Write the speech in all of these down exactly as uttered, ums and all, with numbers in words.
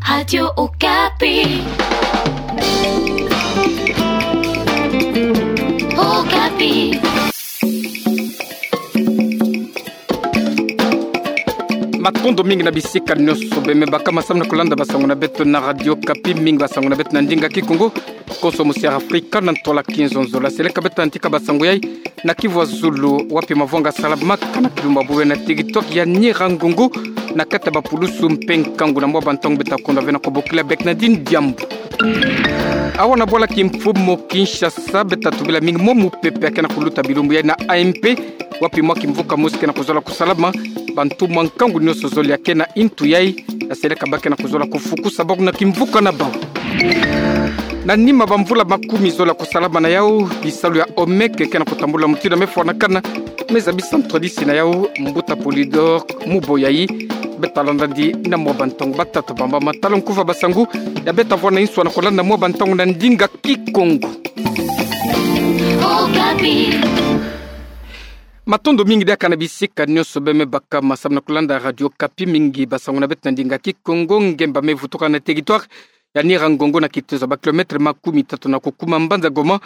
Radio Okapi. Okapi. Matondo mingi na bisika nionso beme baka masamu na kulanda basango na beto na Radio Okapi, mingi basango na beto na ndinga Kikongo, konso mosiara Afrika na ntwala kinzonzolo. Seleka beto antika basango yai na kivu ya zulu, wapi mavwanga salamaka na kilumbu ya Buea na territoire ya Nyiragongo, na kati ya bapulusu mpe nkangu. Na mwa bantangu beto ta konda ve na kobokila Bernadine Diambu. Awa na bwala kimfumu Kinshasa, beto ta tubila mingi mwa mupepe ya kena kuluta bilumbu yai na A M P, wapi mwa kimvuka mosi kena kuzola kusalama. Bantu mwa nkangu nionso zole ya kena intu yai, ya seleka ba kena kuzola kufukusa bako na kimvuka na bau. Na nima bamvula makumi zole ya kusalama na yau, bisalu ya OMEC kena kutambula mutindu ya mefwanakana, me zabisa ntwadisi na yau, mbuta Polydor Muboyai. Beto ta landa ndi na mwa bantangu batata bamba matala nkuva basango ya beto ta vwanda inswa na kolanda mwa bantangu na ndinga Kikongo. Okapi. Matondo mingi diaka na bisika nionso beme baka masamu na kulanda Radio Okapi, mingi basango na beto na ndinga Kikongo. Ngemba mevutuka na territoire ya Nyiragongo na kitezo ya ba kilomètre makumi tatu na kukuma mbanza Goma,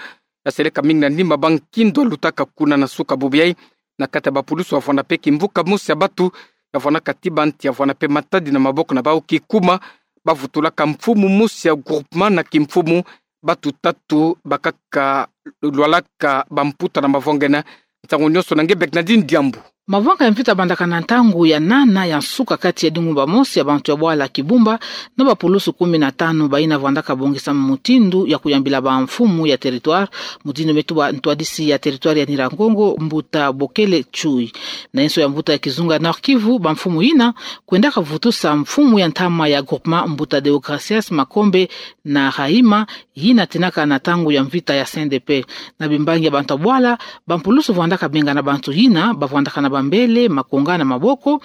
ya seleka mingi na nima bankindo lutaka kuna na suka bubu yai, na kati ya bapulusu ya vwanda mpe kimvuka mosi ya batu ya vwandaka ti banti ya vwanda mpe matadi na maboko na bau kikuma. Bavutulaka mfumu mosi ya groupement na kimfumu, batu tatu bakaka lwalaka bamputa na mavwanga ena. Ntangu nionso na nge Bernadine Diambu. Mavwanga ya mvita mabandaka na ntangu ya nana ya nsuka kati ya dingumba mosi ya bantu ya bwala Kibumba na bapulusu kumi na tanu bayina vwandaka bongisa mutindu ya kuyambila bamfumu ya territoire, mutindu metuba ntwadisi ya territoire ya Nyiragongo, mbuta Bokele Chui. Na inso ya mbuta ya kizunga Nord-Kivu, bamfumu yina kwendaka vutusa mfumu ya ntama ya groupement, mbuta Deogracias Makombe na Rahima, yina tinaka na ntangu ya mvita ya C N D P. Na bimbangi ya bantu ya bwala, bampulusu vwandaka bengana bantu yina bavwandaka na bambele, makonga na maboko,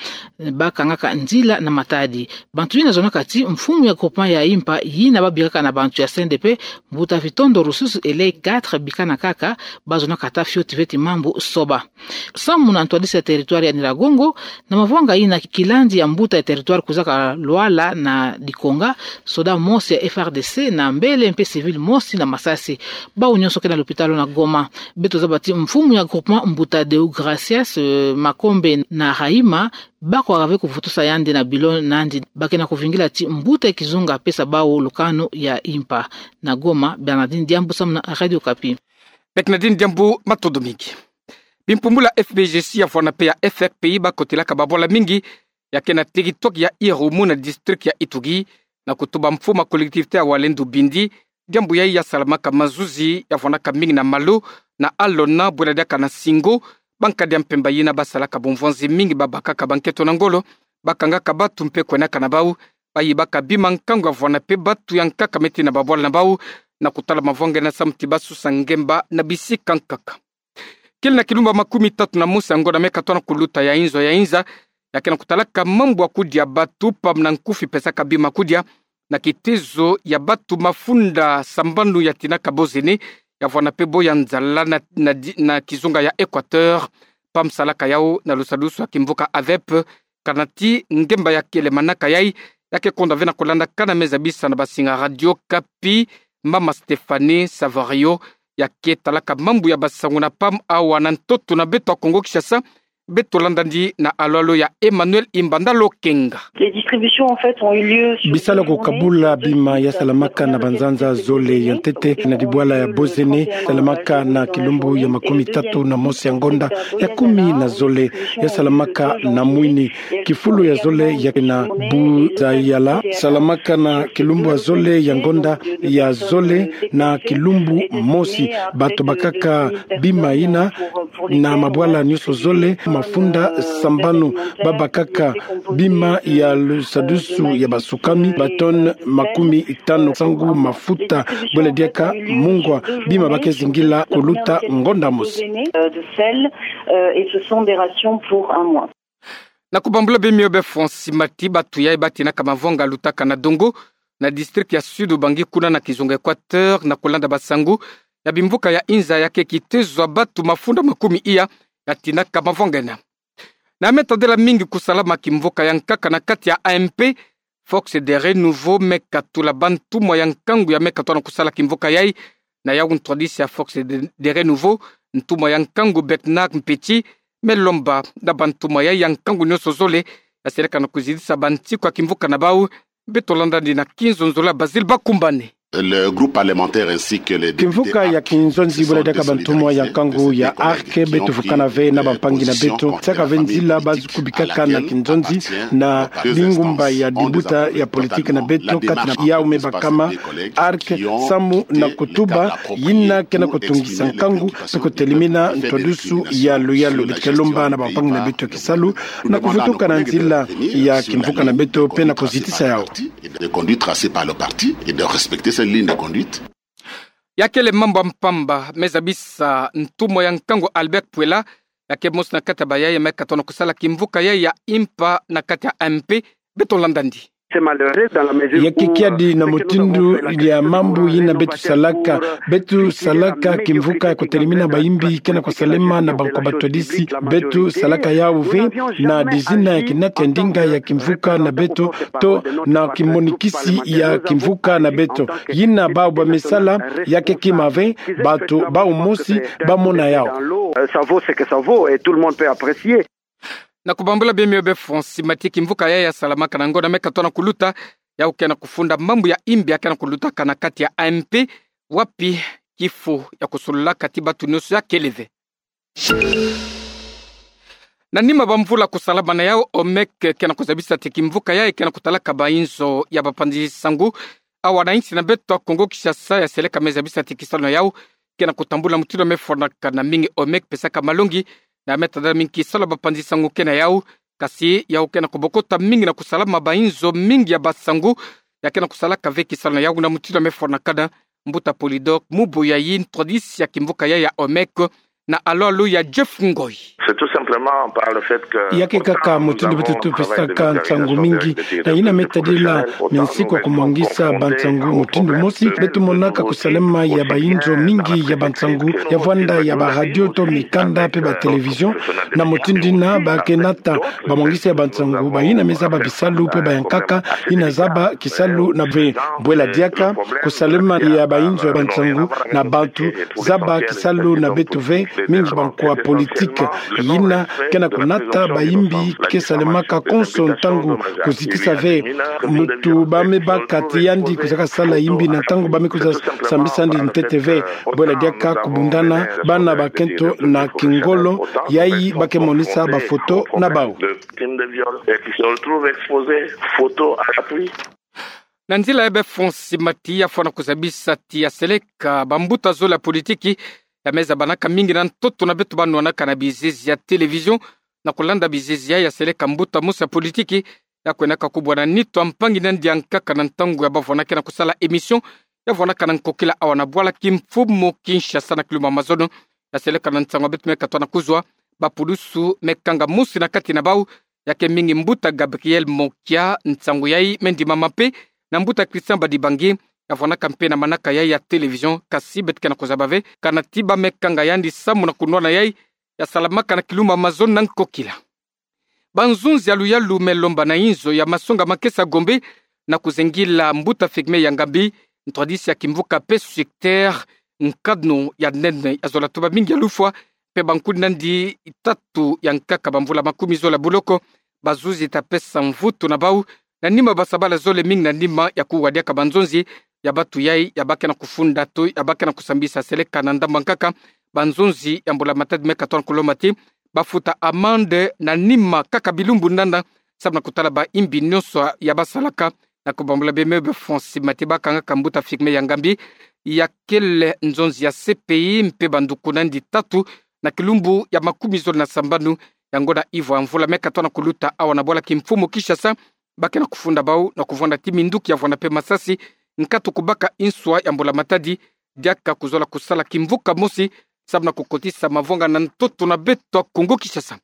bakangaka nzila na matadi. Bantu yina zonaka ti mfumu ya groupement ya Impa, yina babikaka na bantu ya C N D P, mbuta Vitondo Rususu Elei quatre, bikana kaka, bazonaka ata fioti ve ti mambu soba. Samu na ntwadisi ya territoire ya Nyiragongo, na mavwanga yina kilandi ya mbuta ya territoire kwizaka lwala na dikonga, soda mosi ya F R D C na mbele mpe civil mosi na masasi. Bau nionso ke na lopitalo na Goma. Beto zaba ti mfumu ya groupement, mbuta Deogracias, euh, Makombe na Rahima, bako kaka ve kuvutusa yandi na bilo nandi. Ba ke na kuvingila ti mbuta ya kizunga apesa bau lukanu ya Impa. Na Goma, Bernadine Diambu samu na Radio Okapi. Bernadine Diambu, matondo mingi. Bimpumbulu ya F B G C ya vwanda mpe ya F R P I bakotelaka babwala mingi ya ke na territoire ya Irumu na district ya Ituri, na kutuba mfumu ya collectivité ya Walendu Bindi. Diambu yai ya salamaka mazuzi ya vwandaka mingi na Malo, na Alona, bwela diaka na Singo, bankadi ya mpemba yina basalaka bumvwanzi mingi, babakaka banketo na ngolo, bakangaka batu mpe kwenaka na bau, bayibaka bima, nkangu ya vwanda mpe batu ya nkaka meti na babwala na bau, na kutala mavwanga ena samu ti basusa ngemba na bisika nkaka. Kele na kilumbu ya makumi tatu na mosi ya ngonda me katona kuluta ya inzo ya inza ya ke na kutalaka mambu ya kudia batu, pam na nkufi pesaka bima kudia, na kitezo ya batu mafunda sambanu ya tinaka bozene, ya vwanda mpe bo ya nzala na, na di-, na kizunga ya Équateur, pam salaka yau na lusadusu ya kimvuka AVEP, kana ti ngemba ya kele manaka yai, ya ke konda ve na kulandakana, me zabisa na basinga Radio Okapi, mama Stéphanie Savario, ya ke talaka mambu ya basango na pam awa na ntoto na beto ya Kongo Kinshasa. Beto landa ndi na alwalo ya Emmanuel Imbanda Lokenga. Les distributions, en fait, ont eu lieu sur Bisalu ya kukabula bima ya salamaka na banzanza zole ya ntete na dibwala ya bozene, salamaka na kilumbu ya makumi tatu na mosi ya ngonda ya kumi na zole, ya salamaka na mwini. Kifulu ya zole ya ke na Buzayala, salamaka na kilumbu ya zole ya ngonda ya zole na kilumbu mosi. Batu bakaka bima yina na mabwala nionso zole, mafunda sambanu, babakaka bima ya lusadusu ya basukami, ba tonnes makumi tanu, sangu, mafuta, bwela diaka mungwa, bima ba ke zingila kuluta ngonda mosi. Euh, de sel, euh, et ce sont des rations pour un mois. Na kubambula bemio be Francis Mati, batu yai batinaka mavanga lutaka na Dongo, na district ya Sud-Ubangi, kuna na kizunga Équateur, na kulanda basango ya bimvuka ya inza, ya ke kitezo ya batu mafunda makumi iya ya tinaka mavanga ena. Na me tadila mingi kusalama kimvuka ya nkaka na kati ya A M P, Fox de Renouveau me katula ba ntumwa ya nkangu ya me katona kusala kimvuka yai. Na yau ntwadisi ya Fox de, de Renouveau, ntumwa ya nkangu Bernard Mpetsi me lomba na ba ntumwa yai ya nkangu nionso zole ya seleka na kuzitisa ba nsiku ya kimvuka na bau. Beto landa ndi na kinzonzolo ya Basil Bakumbane. Le groupe parlementaire ainsi que les députés Kimvuka ya kinzonzi bwela diaka ba ntumwa ya nkangu ya ARC, beto vukana ve na bampangi na beto, saka ve nzila bazi kubikaka na kinzonzi na bingumba ya dibuta ya politiki na beto, kati na yau me bakama ARC samu na kutuba yina kena kutungisa nkangu, pe kutelimina ntwadusu ya luyalu. Beto ke lomba na bampangi na beto ya kisalu na kuvutuka na nzila ya kimvuka na beto pe na kuzitisa yau. De conduite tracée par le parti et de respecter cette ligne de conduite. Ya kele mambu ya mpamba me zabisa ntumwa ya nkangu Albert Pwela, ya ke mosi na kati ya bayai me katona kusala kimvuka yai ya impa na kati ya AMP. Beto landa ndi. Ya ke kiadi na mutindu ya mambu yina beto salaka, beto salaka kimvuka ya kutelimina bayimbi kena kusalema na bankwa batwadisi. Beto salaka yau ve na dizina ya kinata ya ndinga ya kimvuka na beto, to na kimonikisi ya kimvuka na beto. Yina bau ba me sala ya ke kima ve, bato bau mosi ba mona yau. Euh, ça vaut ce que ça vaut et tout le monde peut apprécier. Na kubambula bie mio be Francis Mati, kimvuka yai ya salamaka na ngonda me katona kuluta, yau kena kufunda mambu ya imbi ya kena kuluta kana kati ya AMP, wapi kifu ya kusololaka ti batu nionso ya kele ve. Na nima ba mvula kusalama na yau, OMEC kena kuzabisa ti kimvuka yai kena kutalaka ba inzo ya bapanzi nsangu awa na insi na beto ya Kongo Kinshasa ya seleka me zabisa ti kisalu na yau kena kutambula mutindu me fwanakana. Mingi OMEC pesaka malongi na me tadala mingi kisalu ya bapanzi nsangu ke na yau. Kasi yau kena kubokota mingi na kusalama ba inzo mingi ya bansangu ya kena kusalaka ve kisalu na yau na mutindu me fwanakana. Mbuta Polydor Muboya, ntwadisi ya kimvuka yai ya OMEC, na alo-alo ya Jeff Ngoi. C'est tout simplement par le fait que ya ke kaka mutindu beto tupesaka nsangu mingi, na yina me tadila minsiku ya kumwangisa bansangu mutindu mosi, beto monaka kusalama ya ba inzo mingi ya bansangu, ya vwanda ya ba radio to mikanda pe ba télévision, na mutindu yina ba ke nata bamwangisi ya bansangu, bayina me zaba bisalu pe bayankaka, yina zaba kisalu na ve. Bwela diaka kusalama ya ba inzo ya bansangu na bantu zaba kisalu na beto ve, mingi bankwa politiki yina kena kunata bayimbi ke salamaka konso ntangu kuzitisa ve mutu ba me baka ti yandi kuzaka sala yimbi na ntangu ba me kwiza sambisa yandi ntete ve. Bwela diaka kubundana bana bakento na kingolo, yai ba ke monisa bafoto na bau. Crime de viol et qui se retrouvent exposés, photo à l'appui. Na nzila ya be Francis Mati, ya fwana kuzabisa ti ya seleka bambuta zole ya politiki ya me zabanaka mingi na ntoto na beto ba nwanaka na bizizi ya télévision. Na kulanda bizizi yai, ya seleka mbuta mosi ya politiki ya kwenaka kubwana nitu ya mpangi na yandi ya nkaka na ntangu ya ba vwanaka na kusala émission ya vwanaka na nkokila awa na bwala kimfumu Kinshasa na kilumbu ya mazono. Ya seleka na nsangu ya beto me katona kuzwa, bapulusu me kanga mosi na kati na bau, ya ke mingi mbuta Gabriel Mokia. Nsangu yai me ndimama mpe na mbuta Christian Badibangi, ya vwanaka mpe na manaka yai ya télévision, kasi beto kena kuzaba ve kana ti ba me kanga yandi samu na kunwana yai ya salamaka na kilumbu ya mazono na nkokila. Banzonzi ya luyalu me lomba na inzo ya masonga makesa Gombe na kuzengila mbuta Firmin Yangambi, ntwadisi ya kimvuka pe sucteur, nkanu ya nene ya zola tuba mingi ya lufwa, mpe bankuni na yandi tatu ya nkaka bamvula makumi zola boloko. Bazuzi ta pesa mvutu na bau na nima basabala zole mingi na nima ya kuwa diaka banzonzi ya batu yai ya ba kena kufunda to ya ba kena kusambisa. Seleka na ndambu ya nkaka, banzonzi ya mbula matadi me katona kulomba ti bafuta amende na nima kaka bilumbu nana, samu na kutala ba imbi nionso ya basalaka. Na kubambula bie mio be Francis Mati, ba kangaka mbuta Firmin Yangambi, ya kele nzonzi ya C P I mpe banduku na yandi tatu na kilumbu ya makumi zole na sambanu ya ngonda ivwa mvula me katona kuluta awa na bwala kimfumu Kinshasa. Ba kena kufunda bau na kuvwanda ti minduki ya vwanda mpe masasi, nkatu kubaka inswa ya mbula matadi, diaka kuzola kusala kimvuka mosi, samu na kukotisa mavwanga na ntoto na beto ya Kongo Kinshasa.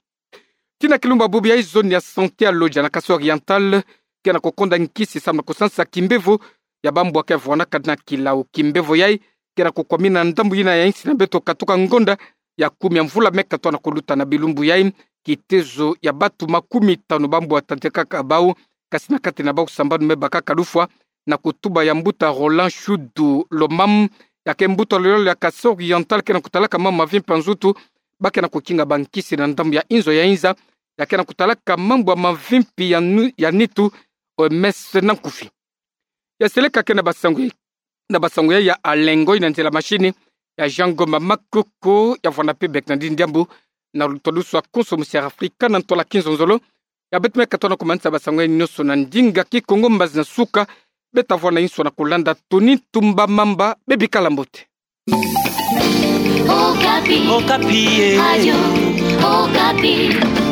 Tii na kilumbu ya bubu yai, zone ya santé ya Lodja na Kasai Oriental kena kukonda nkisi samu na kusansa kimbevo ya bambwa ke vwanaka na kilau. Kimbevo yai kena kukwamina ndambu yina ya insi na beto katuka ngonda ya kumi ya mvula me katona kuluta. Na bilumbu yai, kitezo ya batu makumi tanu bambwa tadikaka bau kasi na kati na bau sambanu me bakaka lufwa, na kutuba ya mbuta Roland Shudu Lomam, ya ke mbuta loyolo ya Kasaï Oriental, ke na kutalaka mambu mavimpi ya nzutu, ba ke na kukinga bankisi na ndambu ya inzo ya inza, ya ke na kutalaka mambu mavimpi ya nu-, ya nitu, O M S na nkufi. Ya seleka ke na basango, na basango ya, ya Alengo, na nzila mashini ya Jean Ngoma Makoko, ya vwanda pe bek na ndini diambu na luto lusu a konso musi Afrika na ntola Kinzonzolo. Ya beto me katoa na kumanisa basango ya nyonso na ndinga Kikongo, mbazi na suka. Beto ta vwanda inso na kulanda toni tumba mamba, bebikala mbote. Okapi. Okapi, eh. Radio Okapi.